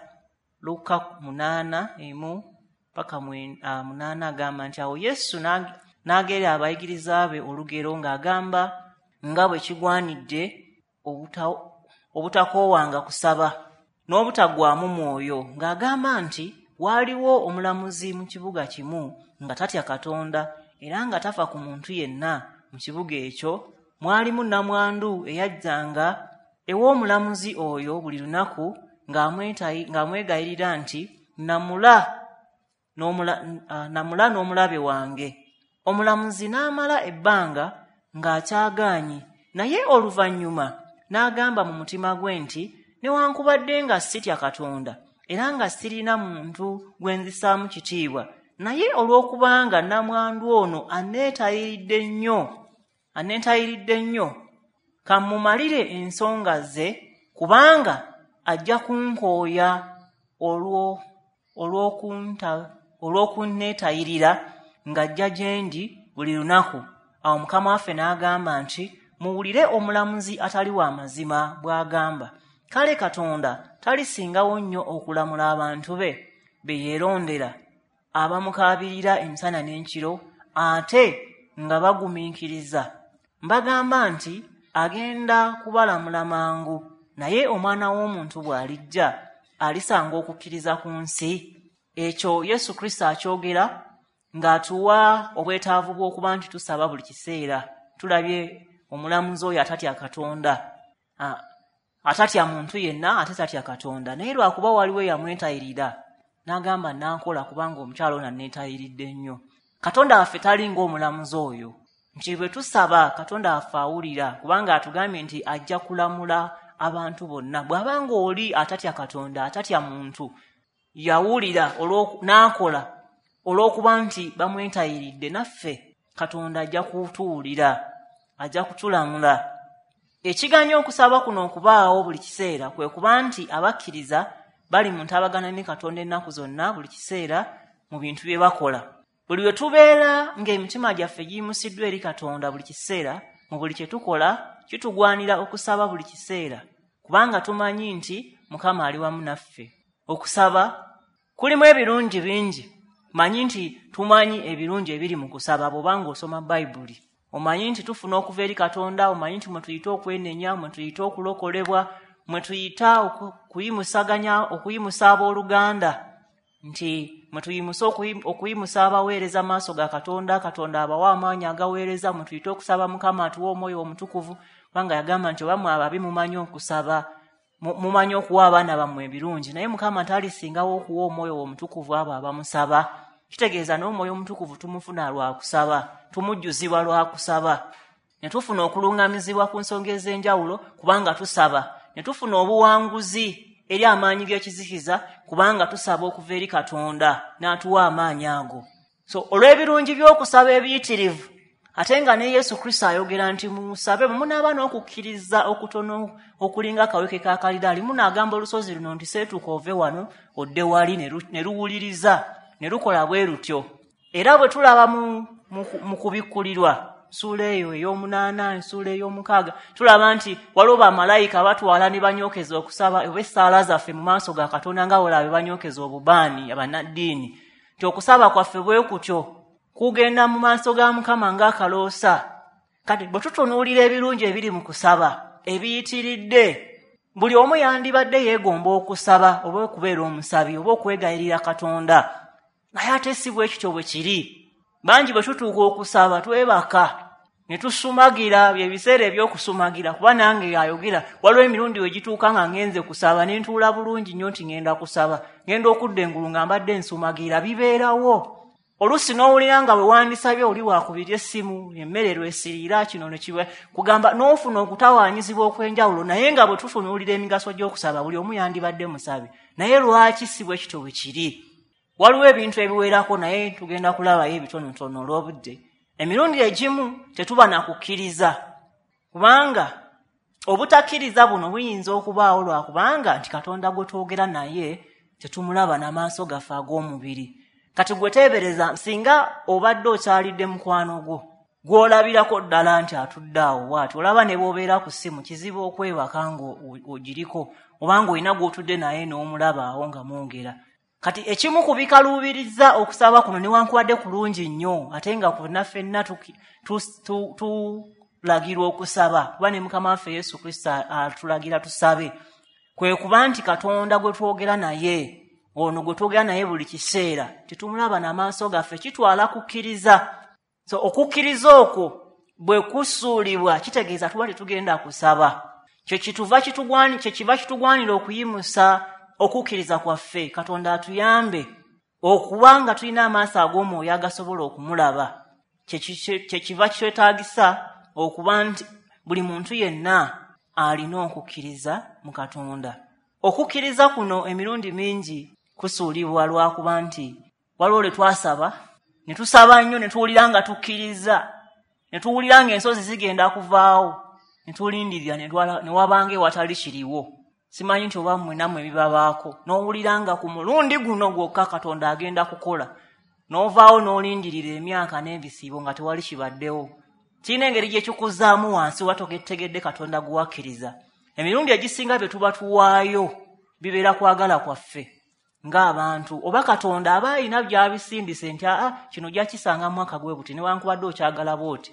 Lukka munaana emu paka munaana agamba nti awo Yesu n'agera abayigiriza be olugero ng'agamba nga bwe kigwanidde obutakoowanga kusaba n'obutaggwaamu mwoyo, ng'agamba nti waaliwo omulamuzi mu kibuga kimu nga tatya Katonda era nga tafa ku muntu yenna mu kibuga ekyo. Mwalimu nnamwandu eyajjanga ew'omulamuzi oyo buli lunaku ng'amwegayirira nti namula namula n'omulabe wange. Omulamuzi n'amala ebbanga ng'akyagaanyi, naye oluvannyuma n'agamba mu mutima gwe nti newankubadde nga sitya Katonda era nga sirina muntu gwe nzisaamu kitiibwa, naye olw'okubanga nnamwandu ono aneetayiridde nnyo aneetayiridde nnyo kammumalire ensonga ze Kubanga ajja kunkooya olwo olw'okunta olw'okunneetayirira ng'ajja gye ndi buli lunaku. Awo Mukama waffe n'agamba nti, muwulire omulamuzi atali wa mazima bw'agamba. Kale Katonda talisingawo nnyo okulamula abantu be be yeerondera, abamukaabirira emisana n'enkiro, ate nga bagumiikiriza. Mbagamba nti agenda kubalamula mangu, naye Omwana w'Omuntu bw'alijja alisanga okukkiriza ku nsi? Ekyo Yesu Kristo akyogera ng'atuwa obwetaavu bw'okuba nti tusaba buli kiseera. Tulabye omulamuzi oyo atatya Katonda, atatya muntu yenna, ate tatya Katonda, naye lwakuba waliwo eyamwetayirira n'agamba nankola kubanga omukyala ono anneetayiridde nnyo. Katonda waffe tali ng'omulamuzi oyo, nti bwe tusaba Katonda waffe awulira, kubanga atugambye nti ajja kulamula abantu bonna. Bw'abanga oli atatya Katonda, atatya muntu, yawulira n'akola olw'okuba nti bamwetayiridde, naffe Katonda ajja kutuwulira, ajja kutulamula. Ekiganya okusaba kuno okubaawo buli kiseera kwe kuba nti abakkiriza bali mu ntabagana ne Katonda ennaku zonna buli kiseera mu bintu bye bakola. Buli lwe tubeera ng'emitima gyaffe giyimusiddwa eri Katonda buli kiseera mu buli kye tukola, kitugwanira okusaba buli kiseera, kubanga tumanyi nti Mukama ali wamu naffe. Okusaba kulimu ebirungi bingi. Manyi nti tumanyi ebirungi ebiri mu kusaba bw'obanga osoma Bayibuli. Omanyi nti tufuna okuva eri Katonda, omanyi nti mwe tuyita okwenenya, mwe tuyita okulokolebwa, mwe tuyita okuyimusaganya, okuyimusa abooluganda, nti mwe tuyimusa okuyimusa abaweereza maaso ga Katonda, Katonda abawa amaanyi agaweereza, mwe tuyita okusaba Mukama atuwa Omwoyo Omutukuvu, kubanga yagamba nti oba mmwe ababi mumanyi okusaba, mumanyi okuwa abaana bammwe ebirungi, naye Mukama talisingawo okuwa Omwoyo Omutukuvu abo abamusaba. Kitegeeza n'Omwoyo Omutukuvu tumufuna lwa kusaba, tumujjuzibwa lwa kusaba, ne tufuna okuluŋŋamizibwa ku nsonga ez'enjawulo kubanga tusaba, ne tufuna obuwanguzi eri amaanyi g'ekizikiza kubanga tusaba okuva eri Katonda n'atuwa amaanyi ago. So olw'ebirungi by'okusaba ebiyitirivu, ate nga ne Yesu Kristo ayogera nti musabe, munaaba n'okukkiriza okutono okulinga akaweke ka kalidaali, munaagamba olusozi luno nti seetuuka ove wano odde wali, ne luwuliriza, ne lukola bwe lutyo. Era bwe tulaba mu, mu, mu kubikkulirwa ssuula eyo ey'omunaana, ensuula ey'omukaaga, tulaba nti waliwo bamalayika batwala ne banyookeza okusaba oba essaala zaffe mu maaso ga Katonda nga bw'olaba banyokeza obubaani abannaddiini, nti okusaba kwaffe bwe kutyo kugenda mu maaso ga Mukama ng'akaloosa. Kati bwe tutunuulira ebirungi ebiri mu kusaba ebiyitiridde, buli omu yandibadde yeegomba okusaba oba okubeera omusabi oba okwegayirira Katonda, naye ate si bwe kityo bwe kiri. Bangi bwe tutuuka okusaba twebaka ne tusumagira, bye biseera eby'okusumagira, kuba nange ayogera waliwo emirundi we gituuka nga ngenze kusaba ne ntuula bulungi nnyo nti ngenda kusaba, ngenda okudda engulu nga mbadde nsumagira, bibeerawo. Oluusi n'owulira nga bwe wandisabye oli waakubirya essimu, emmere lwesiriira, kino ne kiba kugamba, n'ofuna okutawaanyizibwa okw'enjawulo. Naye nga bwe tutunuulira emigaso gy'okusaba, buli omu yandibadde musabi, naye lwaki si bwe kityo bwe kiri? Waliwo ebintu ebiwerako, naye tugenda kulabayo ebitonotono olw'obudde. Emirundi egimu tetuba na kukkiriza, kubanga obutakkiriza buno buyinza okubaawo lwakubanga nti Katonda gwe twogera naye tetumulaba n'amaaso gaffe ag'omubiri. Kati gwe teebereza singa obadde okyalidde mukwano gwo gw'olabirako ddala nti atudde awo bw'ati, olaba ne bw'obeera ku ssimu kizibu okwebaka ng'ogiriko, obanga olina gw'otudde naye n'omulaba awo nga mwogera. Kati ekimu ku bikaluubiriza okusaba kuno newankubadde kulungi nnyo, ate nga konna ffenna tulagirwa okusaba, kuba ne Mukama waffe Yesu Kristo atulagira tusabe, kwe kuba nti Katonda gwe twogera naye, ono gwe twogera naye buli kiseera tetumulaba n'amaaso gaffe, kitwala kukkiriza. So okukkiriza okwo bwe kusuulibwa kitegeeza tuba tetugenda kusaba. Kye kituva kitugwani, kye kiva kitugwanira okuyimusa okukkiriza kwaffe. Katonda atuyambe okuba nga tulina amaaso ag'omwoyo agasobola okumulaba. Kye kiva kitwetaagisa okuba nti buli muntu yenna alina okukkiriza mu Katonda. Okukkiriza kuno emirundi mingi kusuulibwa lwakuba nti waliwo lwe twasaba ne tusaba nnyo ne tuwulira nga tukkiriza, ne tuwulira ng'ensozi zigenda kuvaawo, ne tulindirira ne wabanga ewatali kiriwo. Simanyi nti oba mmwe nammwe bibabaako, n'owulira nga ku mulundi guno gwokka Katonda agenda kukola, n'ovaawo n'olindirira emyaka n'ebisiibo nga tewali kibaddewo. Kirina engeri gye kikuzzaamu wansi oba togetegedde Katonda gwe wakkiriza. Emirundi egisinga bye tuba tuwaayo bibeera kwagala kwaffe ng'abantu, oba Katonda aba alina by'abisindise nti aa kino ojja kisanga mu mwaka gwe buti, newankubadde okyagala bw'oti.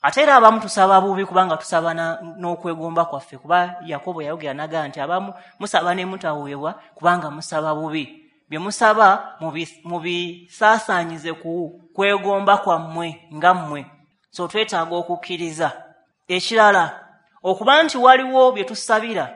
Ate era abamu tusaba bubi kubanga tusaba n'okwegomba kwaffe, kuba Yakobo yayogera n'agamba nti abamu musaba ne mutaweebwa kubanga musaba bubi. Bye musaba mubisaasaanyize ku kwegomba kwammwe nga mmwe. So twetaaga okukkiriza. Ekirala, okuba nti waliwo bye tusabira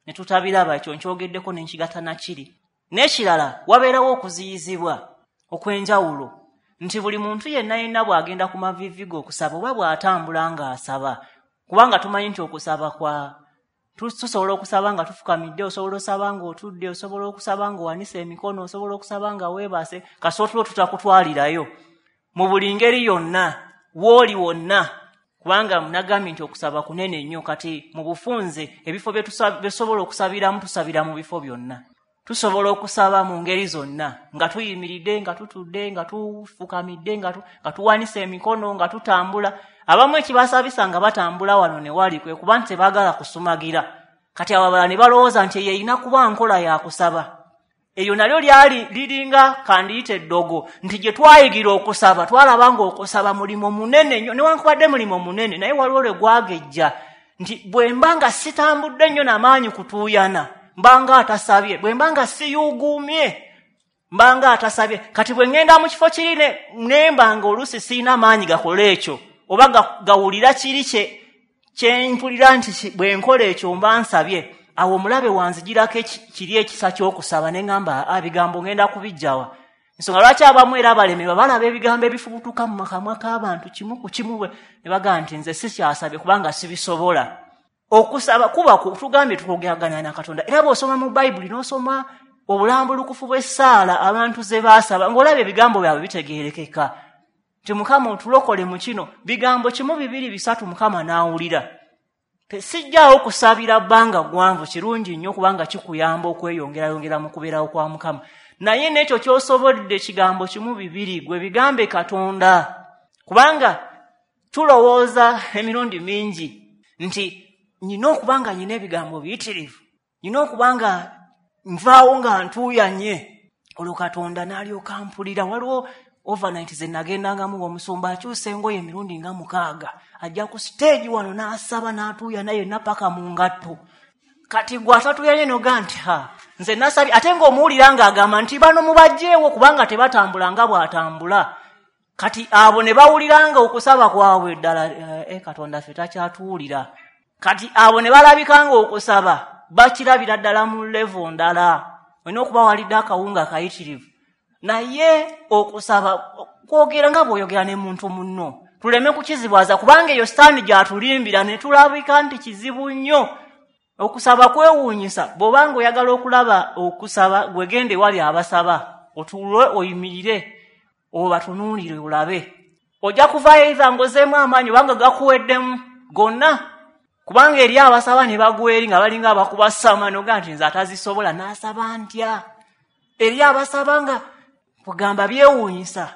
ne tutabiraba, ekyo nkyogeddeko ne nkigatta na kiri. N'ekirala, wabeerawo okuziyizibwa okw'enjawulo nti buli muntu yenna yenna bw'agenda ku maviivi ge okusaba oba bw'atambula ng'asaba, kubanga tumanyi nti okusaba kwa tusobola okusaba nga tufukamidde, osobola osaba ng'otudde, osobola okusaba ng'owanise emikono, osobola okusaba nga weebase, kasita otulo tutakutwalirayo mu buli ngeri yonna w'oli wonna, kubanga nagambye nti okusaba kunene nnyo. Kati mu bufunze ebifo bye tusobola okusabiramu tusabira mu bifo byonna. Tusobola okusaba mu ngeri zonna, nga tuyimiridde, nga tutudde, nga tufukamidde, nga tuwanise emikono, nga tutambula. Abamu ekibasabisa nga batambula wano ne wali kwe kuba nti tebaagala kusumagira. Kati abo abalala ne balowooza nti eyo erina kuba nkola ya kusaba. Eyo nalyo lyali liringa kandiyite eddogo nti gye twayigira okusaba twalaba ng'okusaba mulimu munene nnyo, newankubadde mulimu munene, naye waliwo lwe gwagejja nti bwe mba nga sitambudde nnyo n'amaanyi kutuuyana mbanga atasabye, bwe mba nga siyuguumye mbanga atasabye. Kati bwe ŋŋenda mu kifo kiri ne mba nga oluusi sirina maanyi gakola ekyo oba gawulira kiri kye kye mpulira nti bwe nkola ekyo mba nsabye, awo omulabe wanzigirako kiri ekisa ky'okusaba ne ŋŋamba ebigambo ŋŋenda kubiggyawa. Ensonga lwaki abamu era abalemerwa balaba ebigambo ebifubutuka mu makamwa k'abantu kimu ku kimu ne bagamba nti nze sikyasabye kubanga sibisobola. Okusaba kuba tugambye tukwogeraganya na Katonda. Era bw'osoma mu Bayibuli n'osoma obulambulukufu bw'essaala abantu ze baasaba, ng'olaba ebigambo byabwe bitegeerekeka nti Mukama otulokole mu kino, bigambo kimu bibiri bisatu Mukama n'awulira. Sijjaawo kusabira bbanga ggwanvu, kirungi nnyo kubanga kikuyamba okweyongerayongera mu kubeerawo kwa Mukama. Naye n'ekyo ky'osobodde kigambo kimu bibiri gwe bigambe Katonda, kubanga tulowooza emirundi mingi nti nina okuba nga nina ebigambo biyitirivu, nina okuba nga nvaawo nga ntuuyanye, olwo Katonda n'alyoka mpulira. Waliwo overnight ze nagendangamu ng'omusumba akyusa engoye emirundi nga mukaaga, ajja ku siteegi wano n'asaba n'atuuyana yenna paka mu ngatto. Kati gwe atatuuyanye n'ogaa nti ha nze nasabye, ate ng'omuwulira ng'agamba nti bano mubaggyeewo kubanga tebatambula nga bw'atambula. Kati abo ne bawulira nga okusaba kwabwe ddala eh, Katonda ffe takyatuwulira. Kati abo ne balabika ng'okusaba bakirabira ddala mu levo ndala, olina okuba walidde akawunga kayitirivu. Naye okusaba kwogera nga bw'oyogera ne muntu munno, tuleme kukizibwaza kubanga eyo sitaani gy'atulimbira ne tulabika nti kizibu nnyo. Okusaba kwewuunyisa. Bw'obanga oyagala okulaba okusaba, gwe genda ewali abasaba, otuule oyimirire obatunuulire olabe. Ojja kuvaayo either ng'ozzeemu amaanyi obanga gakuweddemu gonna, kubanga eri abasaba ne bagwa eri nga balinga abakuba ssama n'ogaa nti nze atazisobola n'asaba ntya. Eri abasaba nga kugamba byewuunyisa,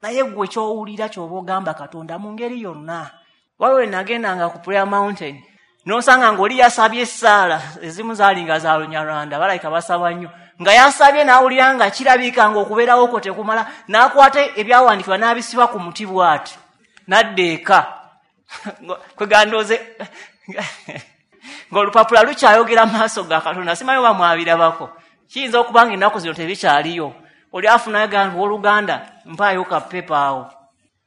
naye ggwe ky'owulira ky'oba ogamba Katonda mu ngeri yonna. Waliwo we nagendanga ku Prayer Mountain n'osanga ng'oli yasabye essaala ezimu zaali nga za Lunyarwanda, balabika basaba nnyo, nga yasabye n'awulira nga kirabika ng'okubeerawo kwo tekumala, n'akwata ebyawandiikibwa n'abisiba ku muti bw'ati n'adda eka. Kwegandooze ng'olupapula lukyayogera mu maaso ga Katonda, simanyi oba mwabirabako. Kiyinza okuba nga ennaku zino tebikyaliyo. Oli afunayo gamba owooluganda mpaayo ka pepa awo,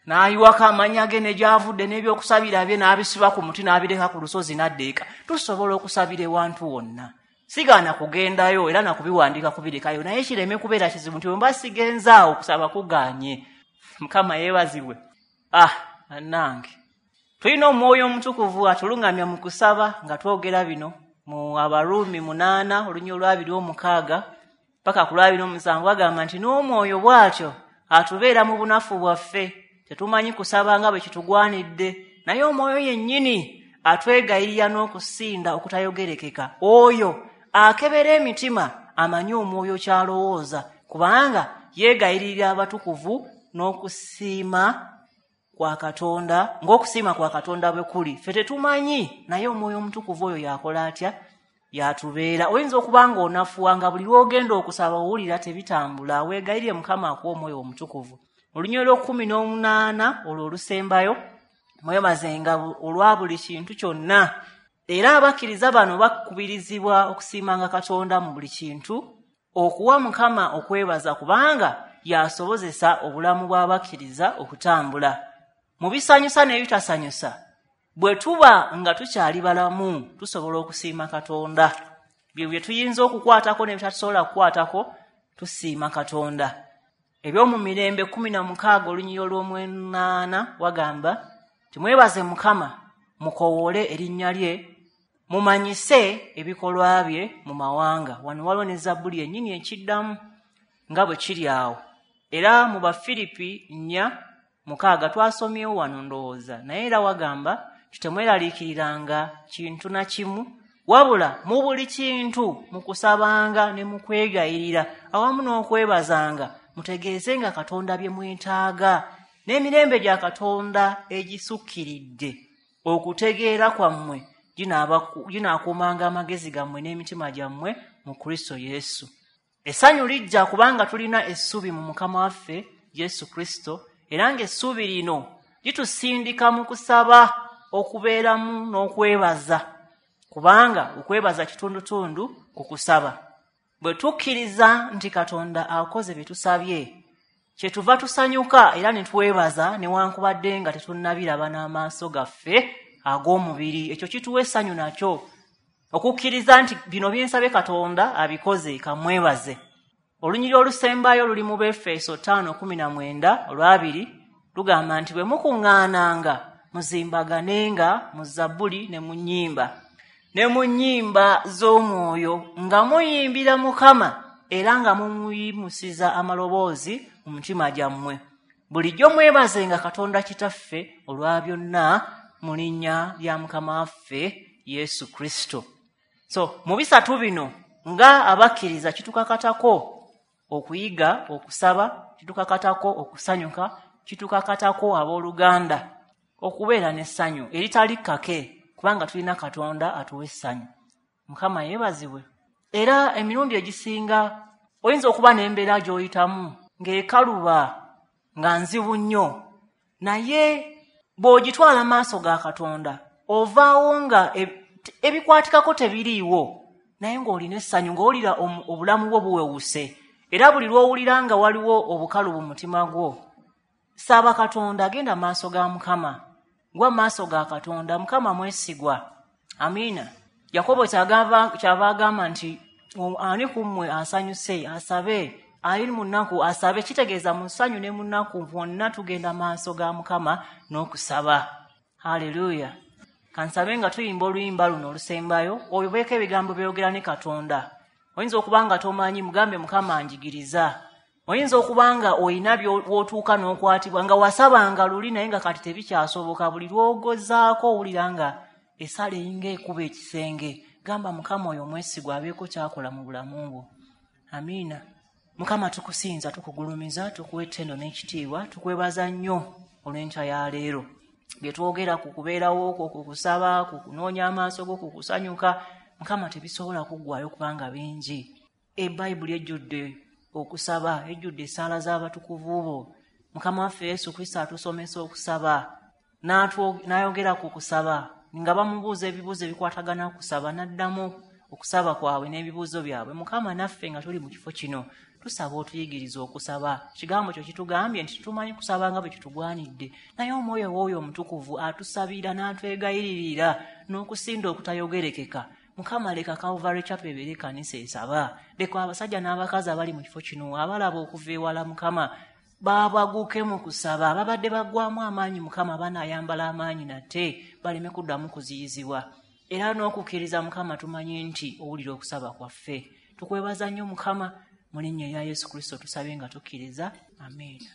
n'ayiwako amannya ge ne gy'avudde n'ebyokusabira bye n'abisiba ku muti n'abireka ku lusozi n'adda eka. Tusobola okusabira ewantu wonna. Sigaana kugendayo era nakubiwandiika kubirekayo, naye kireme kubeera kizibu nti bwe mba sigenzaawo okusaba kugaanye. Mukama yeebazibwe. Ah, bannange, tulina Omwoyo Omutukuvu atuluŋŋamya mu kusaba nga twogera bino mu Abaruumi munaana olunya olwabiri omukaaga paka ku lwabiri omusanvu, bagamba nti n'Omwoyo bw'atyo atubeera mu bunafu bwaffe, tetumanyi kusaba nga bwe kitugwanidde, naye Omwoyo yennyini atwegayirira n'okusinda okutayogerekeka. Oyo Akebera emitima amanyi omwoyo ky'alowooza, kubanga yeegayiririra abatukuvu n'okusiima kwa Katonda, ng'okusiima kwa Katonda bwe kuli. Ffe tetumanyi, naye omwoyo omutukuvu oyo yakola atya? Yatubeera. Oyinza okuba nga onafuwa nga buli lw'ogenda okusaba owulira tebitambula, weegayirire Mukama akuwa omwoyo omutukuvu. Olunyiriri olw'ekkumi n'omunaana olwo olusembayo, mwebazenga olwa buli kintu kyonna. Era abakkiriza bano bakubirizibwa okusiimanga Katonda mu buli kintu, okuwa Mukama okwebaza, kubanga yasobozesa obulamu bw'abakkiriza okutambula. Mu bisanyusa n'ebitasanyusa, bwe tuba nga tukyali balamu tusobola okusiima Katonda. Bye bye tuyinza okukwatako n'ebitatusobola kukwatako, tusiima Katonda. Eby'omu mirembe kkumi na mukaaga olunyiriri olw'omunaana wagamba timwebaze Mukama, mukowoole erinnya lye, mumanyise ebikolwa bye mu mawanga. Wano waliwo ne Zabbuli yennyini ekiddamu nga bwe kiri awo. Era mu Bafiripi nnya mukaaga twasomyewo wano ndowooza, naye era wagamba temweraliikiriranga kintu na kimu, wabula mu buli kintu mu kusabanga ne mu kwegayirira awamu n'okwebazanga mutegeezenga Katonda bye mwetaaga, n'emirembe gya Katonda egisukkiridde okutegeera kwammwe ginaakuumanga amagezi gammwe n'emitima gyammwe mu Kristo Yesu. Essanyu lijja kubanga tulina essuubi mu Mukama waffe Yesu Kristo, era ng'essuubi lino litusindika mu kusaba okubeeramu n'okwebaza, kubanga okwebaza kitundutundu ku kusaba. Bwe tukkiriza nti Katonda akoze bye tusabye, kyetuva tusanyuka era ne twebaza newankubadde nga tetunnabiraba n'amaaso gaffe ag'omubiri. Ekyo kituwa essanyu nakyo, okukkiriza nti bino bye nsabye Katonda abikoze, kamwebaze. Olunyiriri olusembayo luli mu Befeso ttaano kkumi na mwenda olwabiri lugamba nti bwe mukuŋŋaananga muzimbaganenga mu zabbuli ne mu nnyimba ne mu nnyimba z'omwoyo, nga muyimbira Mukama era nga mumuyimusiza amaloboozi mu mutima gyammwe. Bulijjo mwebazenga Katonda Kitaffe olwa byonna mu linnya lya Mukama waffe Yesu Kristo. So mu bisatu bino nga abakkiriza kitukakatako okuyiga okusaba, kitukakatako okusanyuka, kitukakatako abooluganda okubeera n'essanyu eritali kkake, kubanga tulina Katonda atuwa essanyu. Mukama yeebazibwe. Era emirundi egisinga oyinza okuba n'embeera gy'oyitamu ng'ekaluba nga nzibu nnyo, naye bw'ogitwala maaso ga Katonda ovaawo nga ebikwatikako tebiriiwo, naye ng'olina essanyu, ng'owulira obulamu bwo buwewuse. Era buli lw'owulira nga waliwo obukalu mu mutima gwo, saba Katonda, agenda maaso ga Mukama, gwa maaso ga Katonda. Mukama mwesigwa. Amiina. Yakobo kyava agamba nti ani ku mmwe asanyuse asabe, ali mu nnaku asabe. Kitegeeza mu ssanyu ne mu nnaku bwonna tugenda maaso ga Mukama n'okusaba. Haleluya. Kansabe nga tuyimba oluyimba luno olusembayo, oyobeeko ebigambo byogera ne Katonda. Oyinza okuba nga tomanyi, mugambe Mukama njigiriza. Oyinza okuba nga oyina by'otuuka n'okwatibwa nga wasabanga luli naye nga kati tebikyasoboka, buli lw'ogozaako owulira nga essala eyinga ekuba ekisenge. Gamba Mukama oyo omwesigwa abeeko ky'akola mu bulamu bwo. Amiina. Mukama tukusinza, tukugulumiza, tukuwa ettendo n'ekitiibwa, tukwebaza nnyo olw'enkya ya leero. Bye twogera ku kubeerawo okwo, ku kusaba, ku kunoonya amaaso go, ku kusanyuka, Mukama tebisobola kuggwaayo kubanga bingi. Ebbayibuli ejjudde okusaba, ejjudde essaala z'abatukuvu bo. Mukama waffe Yesu Kristo atusomesa okusaba, n'ayogera ku kusaba, nga bamubuuza ebibuuzo ebikwatagana ku kusaba, n'addamu okusaba kwabwe n'ebibuuzo byabwe. Mukama naffe nga tuli mu kifo kino tusaba otuyigirize okusaba. Ekigambo kyo kitugambye nti tumanyi kusaba nga bwe kitugwanidde, naye omwoyo w'oyo omutukuvu atusabira n'atwegayiririra n'okusinda okutayogerekeka. Mukama leka Calvary Chapel ebeere ekkanisa esaba. Leka abasajja n'abakazi abali mu kifo kino abalaba okuva ewala, Mukama babaguke mu kusaba. Ababadde baggwamu amaanyi, Mukama banaayambala amaanyi nate baleme kuddamu kuziyizibwa. Era n'okukkiriza Mukama tumanyi nti owulira okusaba kwaffe. Tukwebaza nnyo Mukama, mu linnya erya Yesu Kristo tusabye nga tukkiriza. Amiina.